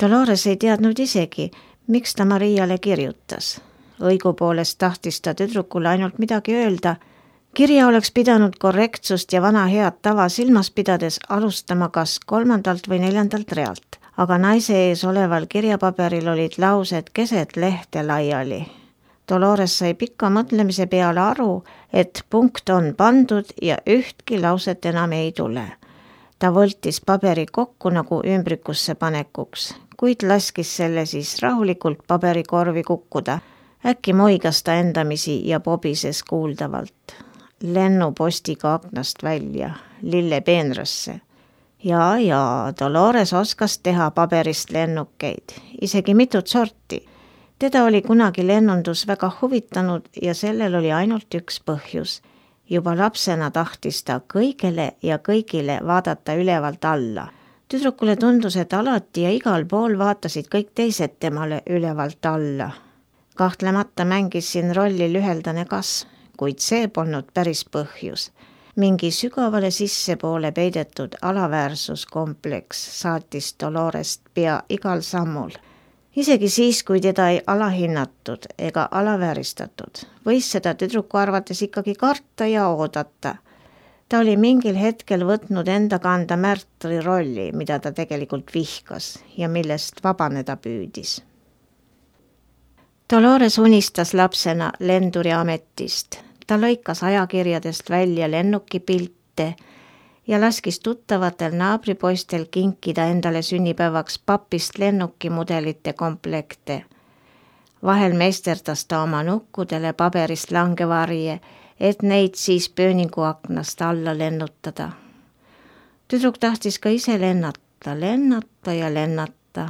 Dolores ei teadnud isegi, miks ta Mariale kirjutas. Õigupoolest tahtis ta tüdrukule ainult midagi öelda. Kirja oleks pidanud korrektsust ja vana head tava silmas pidades alustama kas 3. või 4. realt, aga naise ees oleval kirjapaberil olid laused keset lehte laiali. Dolores sai pika mõtlemise peale aru, et punkt on pandud ja ühtki lauset enam ei tule. Ta võltis paberi kokku nagu ümbrikusse panekuks, kuid laskis selle siis rahulikult paberikorvi kukkuda. Äkki moigas ta endamisi ja pobises kuuldavalt. Lennupostiga aknast välja, lille peenrasse. Ja, Dolores oskas teha paberist lennukeid, isegi mitut sorti. Teda oli kunagi lennundus väga huvitanud ja sellel oli ainult üks põhjus. Juba lapsena tahtis ta kõigele ja kõigile vaadata ülevalt alla. Tüdrukule tundus, et alati ja igal pool vaatasid kõik teised temale ülevalt alla. Kahtlemata mängis siin rolli lüheldane kasv, kuid see polnud päris põhjus. Mingi sügavale sissepoole peidetud alaväärsuskompleks saatis Dolorest pea igal sammul. Isegi siis, kui teda ei alahinnatud ega alavääristatud, võis seda tüdruku arvates ikkagi karta ja oodata. Ta oli mingil hetkel võtnud enda kanda märtri rolli, mida ta tegelikult vihkas ja millest vabaneda püüdis. Dolores unistas lapsena lenduri ametist. Ta lõikas ajakirjadest välja lennukipilte ja laskis tuttavatel naabripoistel kinkida endale sünnipäevaks papist lennukimudelite komplekte. Vahel meisterdas ta oma nukkudele paberist langevarje, et neid siis pööninguaknast alla lennutada. Tüdruk tahtis ka ise lennata ja lennata.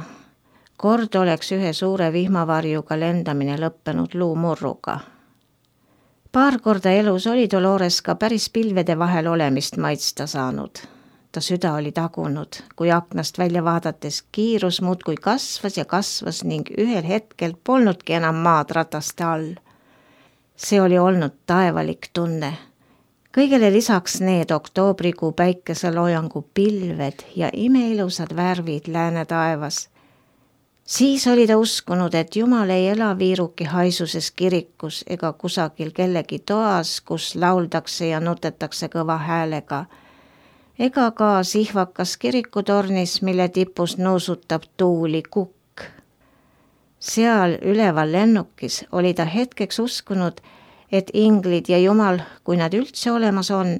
Kord oleks ühe suure vihmavarjuga lendamine lõppenud luumurruga. Paar korda elus oli Dolores ka päris pilvede vahel olemist maitsta saanud. Ta süda oli tagunud, kui aknast välja vaadates kiirus muudkui kasvas ja kasvas ning ühel hetkel polnudki enam maad rataste all. See oli olnud taevalik tunne. Kõigele lisaks need oktoobrikuu päikeseloojangu pilved ja imeilusad värvid lääne taevas. Siis oli ta uskunud, et Jumal ei ela viiruki haisuses kirikus ega kusagil kellegi toas, kus lauldakse ja nutetakse kõva häälega, ega ka sihvakas kirikutornis, mille tipus nuusutab tuuli kukk. Seal üleval lennukis oli ta hetkeks uskunud, et inglid ja Jumal, kui nad üldse olemas on,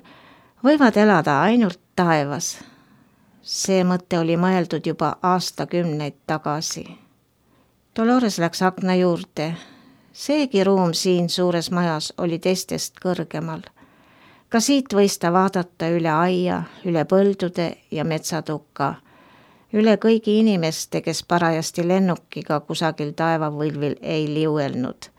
võivad elada ainult taevas. See mõte oli mõeldud juba aastakümneid tagasi. Dolores läks akna juurde. Seegi ruum siin suures majas oli teistest kõrgemal. Ka siit võis ta vaadata üle aia, üle põldude ja metsatukka, üle kõigi inimeste, kes parajasti lennukiga kusagil taevavõlvil ei liuelnud.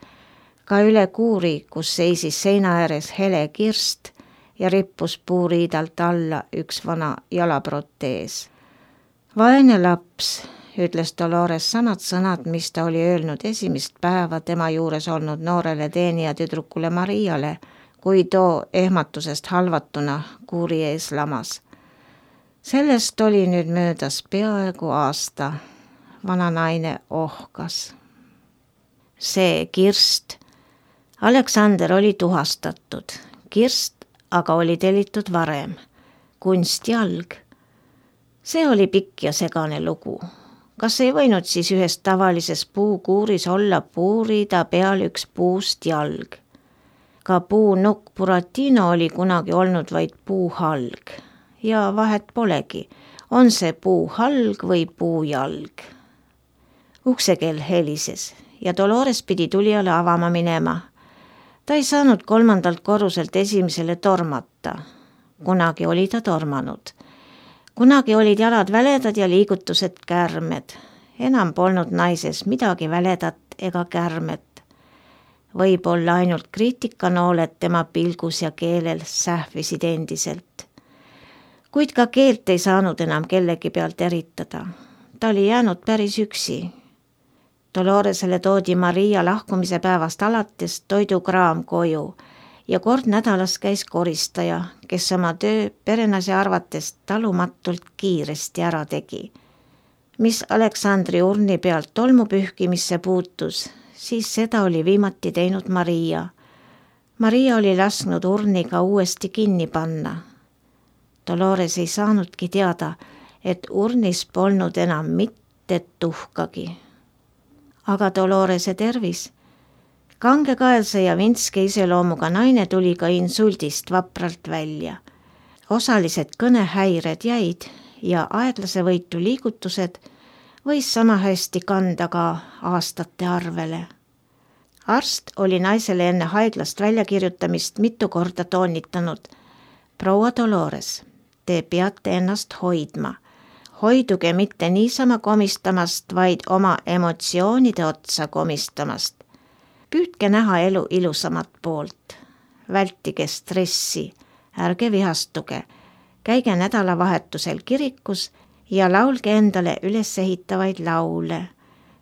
Ka üle kuuri, kus seisis seina ääres hele kirst ja rippus puuriidalt alla üks vana jalaprotees. Vaene laps, ütles Dolores samad sõnad, mis ta oli öelnud esimest päeva tema juures olnud noorele teenija tüdrukule Mariale, kui too ehmatusest halvatuna kuuri ees lamas. Sellest oli nüüd möödas peaaegu aasta. Vana naine ohkas. See kirst. Aleksander oli tuhastatud. Kirst aga oli tellitud varem. Kunstjalg. See oli pikk ja segane lugu. Kas ei võinud siis ühes tavalises puukuuris olla puurida peal üks puust jalg? Ka puunukk Buratino oli kunagi olnud vaid puuhalg. Ja vahet polegi, on see puuhalg või puujalg. Uksekell helises ja Dolores pidi tulijale avama minema. Ta ei saanud 3. korruselt esimesele tormata. Kunagi oli ta tormanud. Kunagi olid jalad väledad ja liigutused kärmed. Enam polnud naises midagi väledat ega kärmet. Võib-olla ainult kriitikanooled tema pilgus ja keelel sähvisid endiselt. Kuid ka keelt ei saanud enam kellegi pealt eritada. Ta oli jäänud päris üksi. Doloresele toodi Maria lahkumise päevast alates toidukraam koju ja kord nädalas käis koristaja, kes oma töö perenase arvates talumatult kiiresti ära tegi. Mis Aleksandri urni pealt tolmu pühkimisse puutus, siis seda oli viimati teinud Maria. Maria oli lasknud urni ka uuesti kinni panna. Dolores ei saanudki teada, et urnis polnud enam mitte tuhkagi. Aga Dolorese tervis. Kangekaelse ja vintske iseloomuga naine tuli ka insuldist vapralt välja. Osalised kõnehäired jäid ja aeglase võitu liigutused võis sama hästi kanda ka aastate arvele. Arst oli naisele enne haiglast väljakirjutamist mitu korda toonitanud. Proua Dolores, te peate ennast hoidma. Hoiduge mitte niisama komistamast, vaid oma emotsioonide otsa komistamast. Püüdke näha elu ilusamat poolt. Vältige stressi, ärge vihastuge. Käige nädalavahetusel kirikus ja laulge endale ülesehitavaid laule.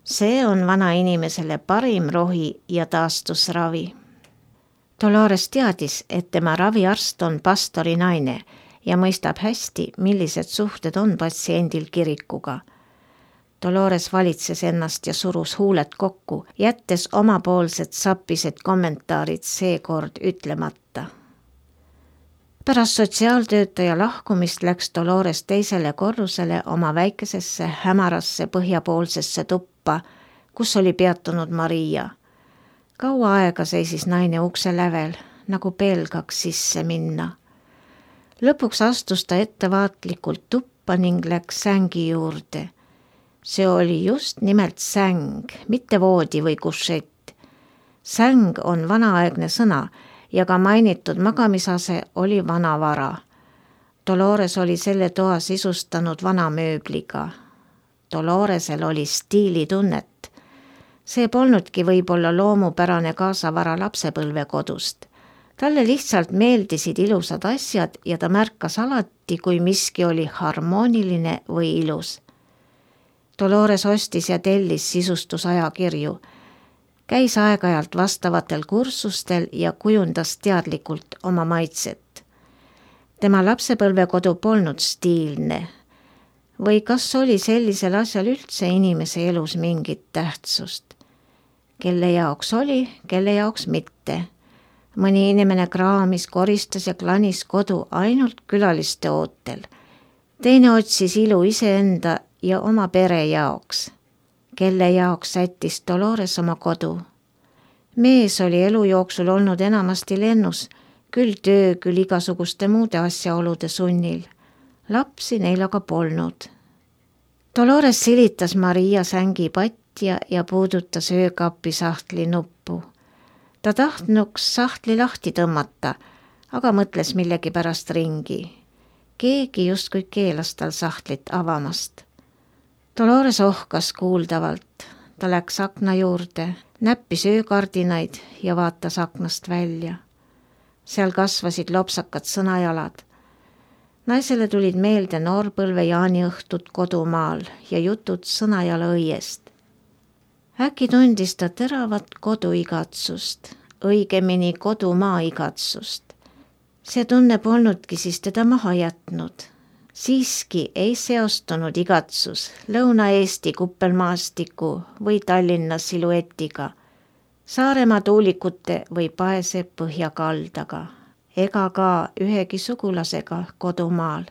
See on vanainimesele parim rohi ja taastusravi. Dolores teadis, et tema raviarst on pastori naine ja mõistab hästi, millised suhted on patsiendil kirikuga. Dolores valitses ennast ja surus huuled kokku, jättes omapoolsed sappised kommentaarid seekord ütlemata. Pärast sotsiaaltöötaja lahkumist läks Dolores teisele korrusele oma väikesesse hämarasse põhjapoolsesse tuppa, kus oli peatunud Maria. Kaua aega seisis naine ukse lävel, nagu pelgaks sisse minna. Lõpuks astus ta ettevaatlikult tuppa ning läks sängi juurde. See oli just nimelt säng, mitte voodi või kušett. Säng on vanaaegne sõna ja ka mainitud magamisase oli vanavara. Dolores oli selle toa sisustanud vana mööbliga. Doloresel oli stiilitunnet. See polnudki võib-olla loomupärane kaasavara lapsepõlvekodust. Talle lihtsalt meeldisid ilusad asjad ja ta märkas alati, kui miski oli harmooniline või ilus. Dolores ostis ja tellis sisustusajakirju. Käis aeg-ajalt vastavatel kursustel ja kujundas teadlikult oma maitset. Tema lapsepõlvekodu polnud stiilne. Või kas oli sellisel asjal üldse inimese elus mingit tähtsust? Kelle jaoks oli, kelle jaoks mitte. Mõni inimene kraamis, koristas ja klanis kodu ainult külaliste ootel. Teine otsis ilu iseenda ja oma pere jaoks. Kelle jaoks sättis Dolores oma kodu. Mees oli elu jooksul olnud enamasti lennus, küll töö, küll igasuguste muude asjaolude sunnil. Lapsi neil aga polnud. Dolores silitas Maria sängi patja ja puudutas öökapi sahtli nuppu. Ta tahtnuks sahtli lahti tõmmata, aga mõtles millegi pärast ringi. Keegi justkui keelas tal sahtlit avamast. Dolores ohkas kuuldavalt. Ta läks akna juurde, näppis öökardinaid ja vaatas aknast välja. Seal kasvasid lopsakad sõnajalad. Naisele tulid meelde noorpõlve jaaniõhtud kodumaal ja jutud sõnajala õiest. Äkki tundis ta teravat koduigatsust, õigemini kodumaa igatsust. See tunne polnudki siis teda maha jätnud. Siiski ei seostunud igatsus Lõuna-Eesti kuppelmaastiku või Tallinna siluetiga, Saaremaa tuulikute või Paese põhjakaldaga, ega ka ühegi sugulasega kodumaal.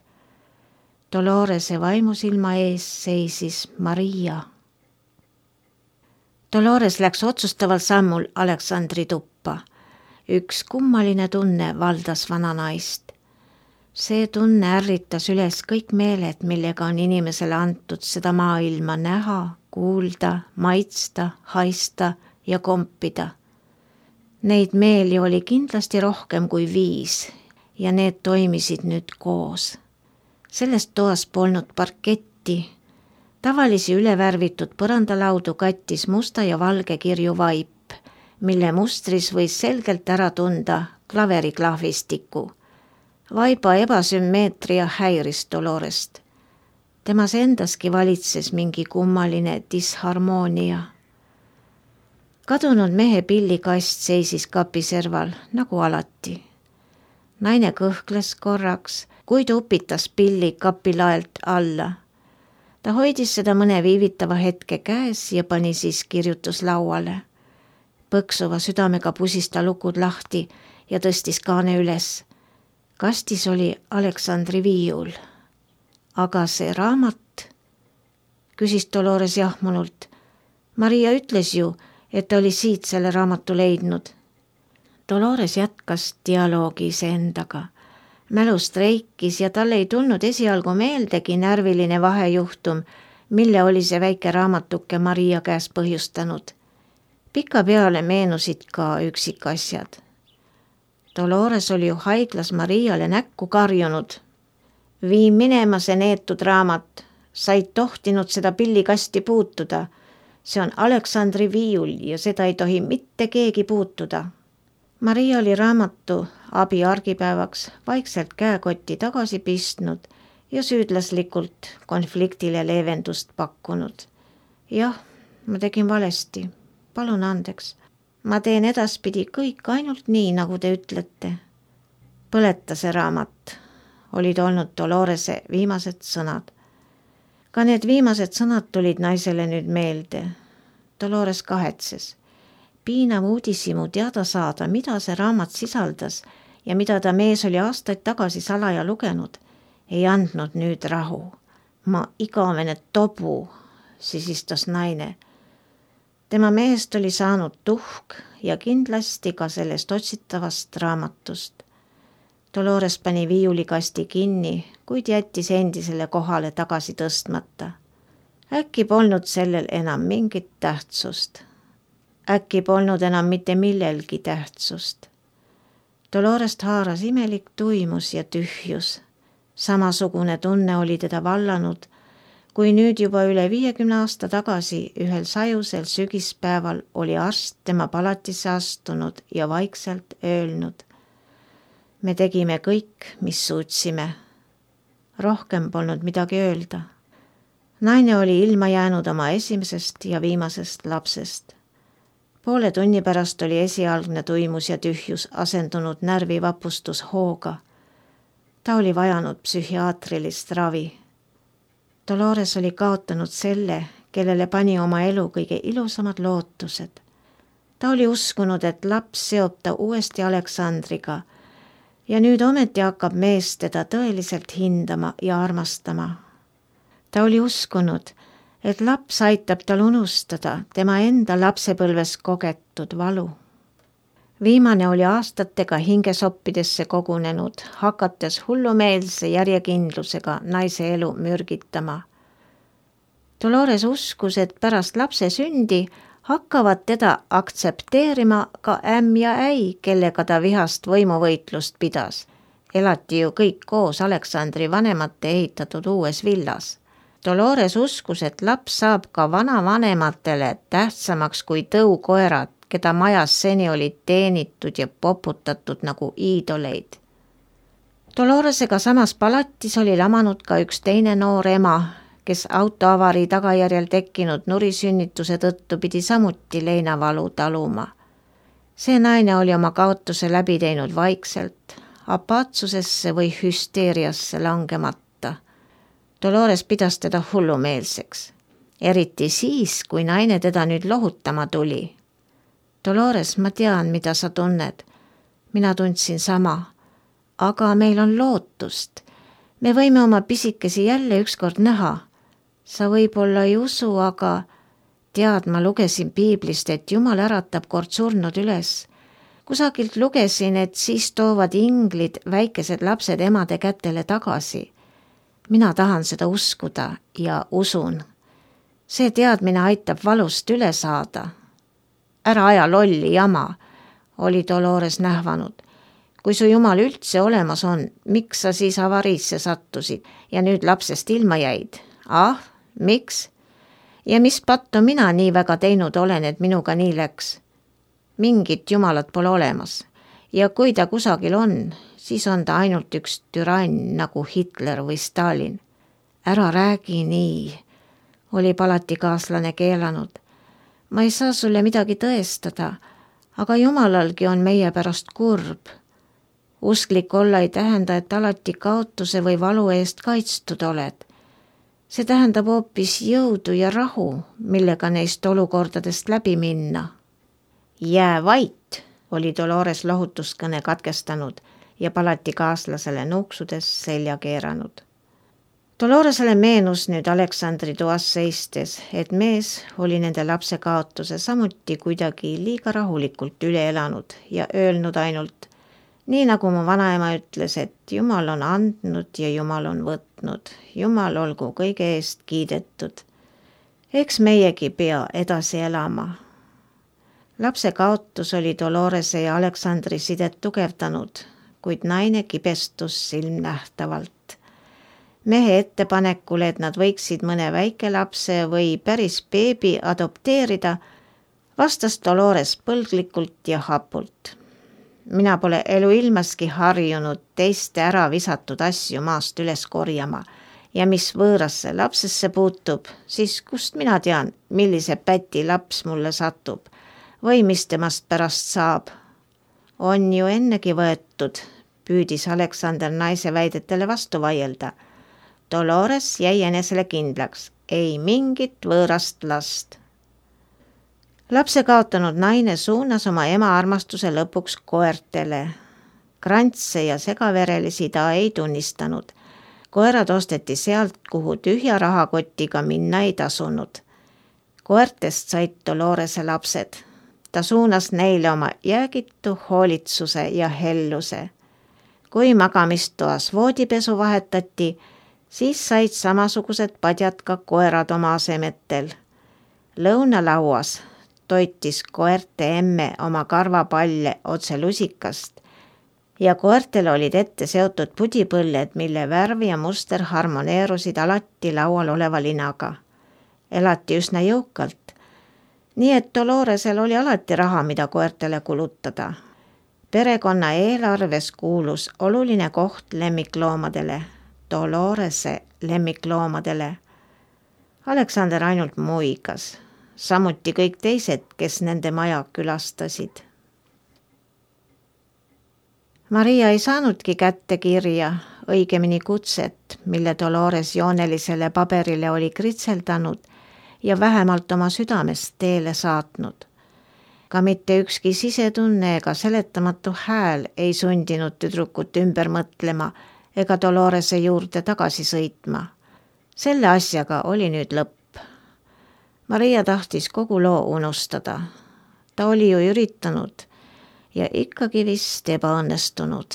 Dolorese vaimusilma ees seisis Maria. Dolores läks otsustaval sammul Aleksandri tuppa. Üks kummaline tunne valdas vana naist. See tunne ärritas üles kõik meeled, millega on inimesele antud seda maailma näha, kuulda, maitsta, haista ja kompida. Neid meeli oli kindlasti rohkem kui 5 ja need toimisid nüüd koos. Sellest toas polnud parketti. Tavalisi ülevärvitud põrandalaudu kattis musta ja valge kirju vaip, mille mustris võis selgelt ära tunda klaveriklahvistiku. Vaiba ebasümmeetria häiris Dolorest. Temas endaski valitses mingi kummaline disharmoonia. Kadunud mehe pillikast seisis kapi serval, nagu alati. Naine kõhkles korraks, kuid upitas pilli kapilaelt alla. Ta hoidis seda mõne viivitava hetke käes ja pani siis kirjutuslauale. Põksuva südamega pusis ta lukud lahti ja tõstis kaane üles. Kastis oli Aleksandri viiul. Aga see raamat, küsis Dolores jahmunult. Maria ütles ju, et ta oli siit selle raamatu leidnud. Dolores jätkas dialoogi iseendaga. Mälust reikis ja tal ei tulnud esialgu meeldegi närviline vahejuhtum, mille oli see väike raamatuke Maria käes põhjustanud. Pikapeale meenusid ka üksikasjad. Dolores oli ju haiglas Mariale näkku karjunud. Vii minema see neetud raamat, sa ei tohtinud seda pillikasti puutuda. See on Aleksandri viiul ja seda ei tohi mitte keegi puutuda. Maria oli raamatu abi argipäevaks vaikselt käekotti tagasi pistnud ja süüdlaslikult konfliktile leevendust pakkunud. Jah, ma tegin valesti. Palun andeks. Ma teen edaspidi kõik ainult nii, nagu te ütlete. Põleta see raamat, olid olnud Dolorese viimased sõnad. Ka need viimased sõnad tulid naisele nüüd meelde. Dolores kahetses. Piinav uudishimu teada saada, mida see raamat sisaldas ja mida ta mees oli aastaid tagasi salaja lugenud, ei andnud nüüd rahu. Ma igavene tobu, sisistas naine. Tema mehest oli saanud tuhk ja kindlasti ka sellest otsitavast raamatust. Dolores pani viiulikasti kinni, kuid jättis endisele kohale tagasi tõstmata. Äkki polnud sellel enam mingit tähtsust. Äkki polnud enam mitte millelgi tähtsust. Dolorest haaras imelik tuimus ja tühjus. Samasugune tunne oli teda vallanud, kui nüüd juba üle 50 aasta tagasi ühel sajusel sügispäeval oli arst tema palatisse astunud ja vaikselt öelnud. Me tegime kõik, mis suutsime. Rohkem polnud midagi öelda. Naine oli ilma jäänud oma esimesest ja viimasest lapsest. Poole tunni pärast oli esialgne tuimus ja tühjus asendunud närvivapustus hooga. Ta oli vajanud psühhiaatrilist ravi. Dolores oli kaotanud selle, kellele pani oma elu kõige ilusamad lootused. Ta oli uskunud, et laps seob ta uuesti Aleksandriga ja nüüd ometi hakkab mees teda tõeliselt hindama ja armastama. Ta oli uskunud, et laps aitab tal unustada tema enda lapsepõlves kogetud valu. Viimane oli aastatega hingesoppidesse kogunenud, hakates hullumeelse järjekindlusega naise elu mürgitama. Dolores uskus, et pärast lapse sündi hakkavad teda aktsepteerima ka ämm ja äi, kellega ta vihast võimuvõitlust pidas. Elati ju kõik koos Aleksandri vanemate ehitatud uues villas. Dolores uskus, et laps saab ka vanavanematele tähtsamaks kui tõukoerad, keda majas seni olid teenitud ja poputatud nagu iidoleid. Doloresega samas palatis oli lamanud ka üks teine noor ema, kes autoavarii tagajärjel tekkinud nurisünnituse tõttu pidi samuti leinavalu taluma. See naine oli oma kaotuse läbi teinud vaikselt, apaatsusesse või hüsteeriasse langemata. Dolores pidas teda hullumeelseks, eriti siis, kui naine teda nüüd lohutama tuli. Dolores, ma tean, mida sa tunned. Mina tundsin sama. Aga meil on lootust. Me võime oma pisikesi jälle ükskord näha. Sa võib-olla ei usu, aga tead, ma lugesin piiblist, et Jumal äratab kord surnud üles. Kusagilt lugesin, et siis toovad inglid väikesed lapsed emade kätele tagasi. Mina tahan seda uskuda ja usun. See teadmine aitab valust üle saada. Ära aja lolli jama, oli Dolores nähvanud. Kui su Jumal üldse olemas on, miks sa siis avariisse sattusid ja nüüd lapsest ilma jäid? Ah, miks? Ja mis pattu mina nii väga teinud olen, et minuga nii läks? Mingit Jumalat pole olemas. Ja kui ta kusagil on, siis on ta ainult üks türann nagu Hitler või Stalin. Ära räägi nii, oli palatikaaslane keelanud. Ma ei saa sulle midagi tõestada, aga Jumalalgi on meie pärast kurb. Usklik olla ei tähenda, et alati kaotuse või valu eest kaitstud oled. See tähendab hoopis jõudu ja rahu, millega neist olukordadest läbi minna. Jää vait, oli Dolores lohutuskõne katkestanud ja palati kaaslasele nuuksudes selja keeranud. Doloresele meenus nüüd Aleksandri toas seistes, et mees oli nende lapse kaotuse samuti kuidagi liiga rahulikult üle elanud ja öelnud ainult, nii nagu mu vanaema ütles, et Jumal on andnud ja Jumal on võtnud, Jumal olgu kõige eest kiidetud. Eks meiegi pea edasi elama. Lapse kaotus oli Dolorese ja Aleksandri sidet tugevdanud, kuid naine kibestus silmnähtavalt. Mehe ettepanekule, et nad võiksid mõne väikelapse või päris beebi adopteerida, vastas Dolores põlglikult ja hapult. Mina pole eluilmaski harjunud teiste ära visatud asju maast üles korjama ja mis võõrasse lapsesse puutub, siis kust mina tean, millise päti laps mulle satub või mis temast pärast saab. On ju ennegi võetud, püüdis Aleksander naise väidetele vastu vaielda. Dolores jäi enesele kindlaks, ei mingit võõrast last. Lapse kaotanud naine suunas oma ema armastuse lõpuks koertele. Krantse ja segaverelisi ta ei tunnistanud. Koerad osteti sealt, kuhu tühja rahakotiga minna ei tasunud. Koertest said Dolorese lapsed. Ta suunas neile oma jäägitu hoolitsuse ja helluse. Kui magamistoas voodipesu vahetati, siis said samasugused padjad ka koerad oma asemetel. Lõunalauas toitis koerte emme oma karvapalle otse lusikast ja koertel olid ette seotud pudipõlled, mille värv ja muster harmoneerusid alati laual oleva linaga. Elati üsna jõukalt, nii et Doloresel oli alati raha, mida koertele kulutada. Perekonna eelarves kuulus oluline koht lemmikloomadele, Dolorese lemmikloomadele. Aleksander ainult muigas, samuti kõik teised, kes nende maja külastasid. Maria ei saanudki kätte kirja, õigemini kutset, mille Dolores joonelisele paberile oli kritseldanud ja vähemalt oma südamest teele saatnud. Ka mitte ükski sisetunne ega seletamatu hääl ei sundinud tüdrukut ümber mõtlema ega Dolorese juurde tagasi sõitma. Selle asjaga oli nüüd lõpp. Maria tahtis kogu loo unustada. Ta oli ju üritanud ja ikkagi vist ebaõnnestunud.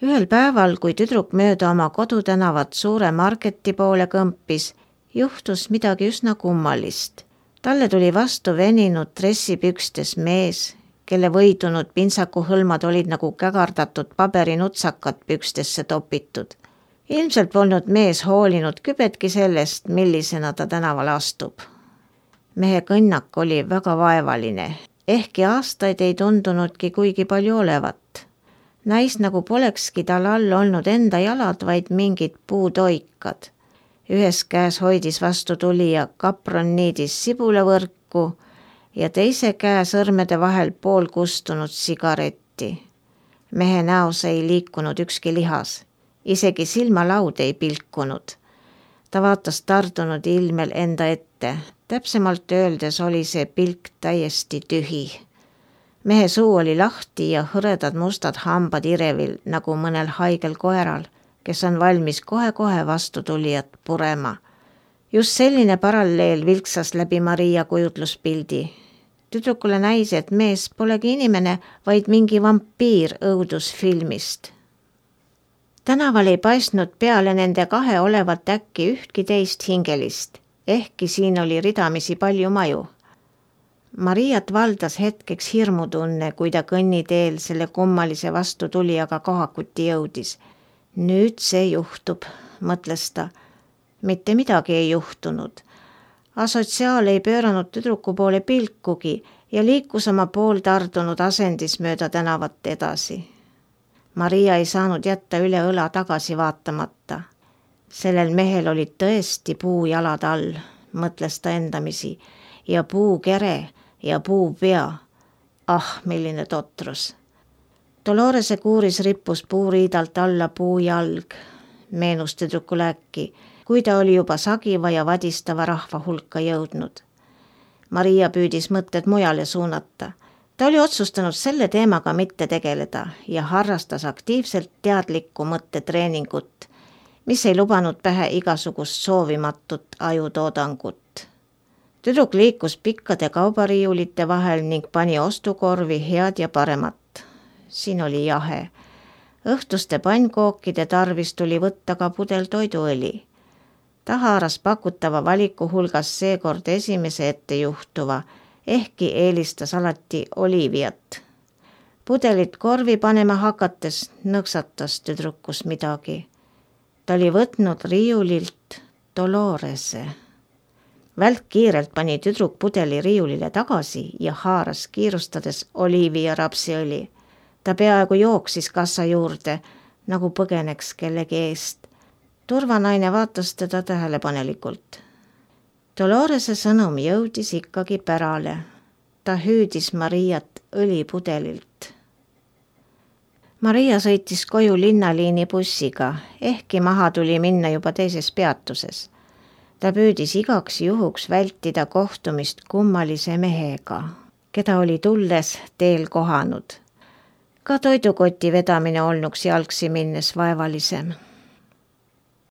Ühel päeval, kui tüdruk mööda oma kodutänavat suure marketi poole kõmpis, juhtus midagi üsna kummalist. Talle tuli vastu veninud dressipükstes mees, kelle võidunud pintsakuhõlmad olid nagu kägardatud paberinutsakad pükstesse topitud. Ilmselt polnud mees hoolinud kübetki sellest, millisena ta tänaval astub. Mehe kõnnak oli väga vaevaline, ehkki aastaid ei tundunudki kuigi palju olevat. Näis nagu polekski tal all olnud enda jalad, vaid mingid puutoikad. Ühes käes hoidis vastu tulija kaproniidis sibulavõrku ja teise käe sõrmede vahel pool kustunud sigaretti. Mehe näos ei liikunud ükski lihas, isegi silmalaud ei pilkunud. Ta vaatas tardunud ilmel enda ette, täpsemalt öeldes oli see pilk täiesti tühi. Mehe suu oli lahti ja hõredad mustad hambad irevil nagu mõnel haigel koeral, kes on valmis kohe-kohe vastu tulijat purema. Just selline paralleel vilksas läbi Maria kujutluspildi. Tüdrukule näis, et mees polegi inimene, vaid mingi vampiir õudusfilmist. Tänaval ei paistnud peale nende kahe olevat äkki ühtki teist hingelist, ehkki siin oli ridamisi palju maju. Mariat valdas hetkeks hirmutunne, kui ta kõnniteel selle kummalise vastutulijaga kohakuti jõudis. Nüüd see juhtub, mõtles ta. Mitte midagi ei juhtunud. Asotsiaal ei pööranud tüdruku poole pilkugi ja liikus oma pooltardunud asendis mööda tänavat edasi. Maria ei saanud jätta üle õla tagasi vaatamata. Sellel mehel olid tõesti puujalad all, mõtles ta endamisi, ja puukere ja puupea. Ah, milline totrus. Dolorese kuuris rippus puuriidalt alla puujalg, meenus tüdrukule äkki, kui ta oli juba sagiva ja vadistava rahva hulka jõudnud. Maria püüdis mõtted mujale suunata. Ta oli otsustanud selle teemaga mitte tegeleda ja harrastas aktiivselt teadlikku mõttetreeningut, mis ei lubanud pähe igasugust soovimatut ajutoodangut. Tüdruk liikus pikkade kaubariiulite vahel ning pani ostukorvi head ja paremat. Siin oli jahe. Õhtuste pannkookide tarvis tuli võtta ka pudel toiduõli. Ta haaras pakutava valiku hulgas seekord esimese ette juhtuva, ehkki eelistas alati oliiviat. Pudelit korvi panema hakates nõksatas tüdrukus midagi. Ta oli võtnud riiulilt Dolorese. Välkkiirelt pani tüdruk pudeli riiulile tagasi ja haaras kiirustades oliivi ja rapsiõli. Ta peaaegu jooksis kassa juurde, nagu põgeneks kellegi eest. Turvanaine vaatas teda tähelepanelikult. Dolorese sõnum jõudis ikkagi pärale. Ta hüüdis Mariat õlipudelilt. Maria sõitis koju linnaliini bussiga, ehkki maha tuli minna juba teises peatuses. Ta püüdis igaks juhuks vältida kohtumist kummalise mehega, keda oli tulles teel kohanud. Ka toidukoti vedamine olnuks jalgsi minnes vaevalisem.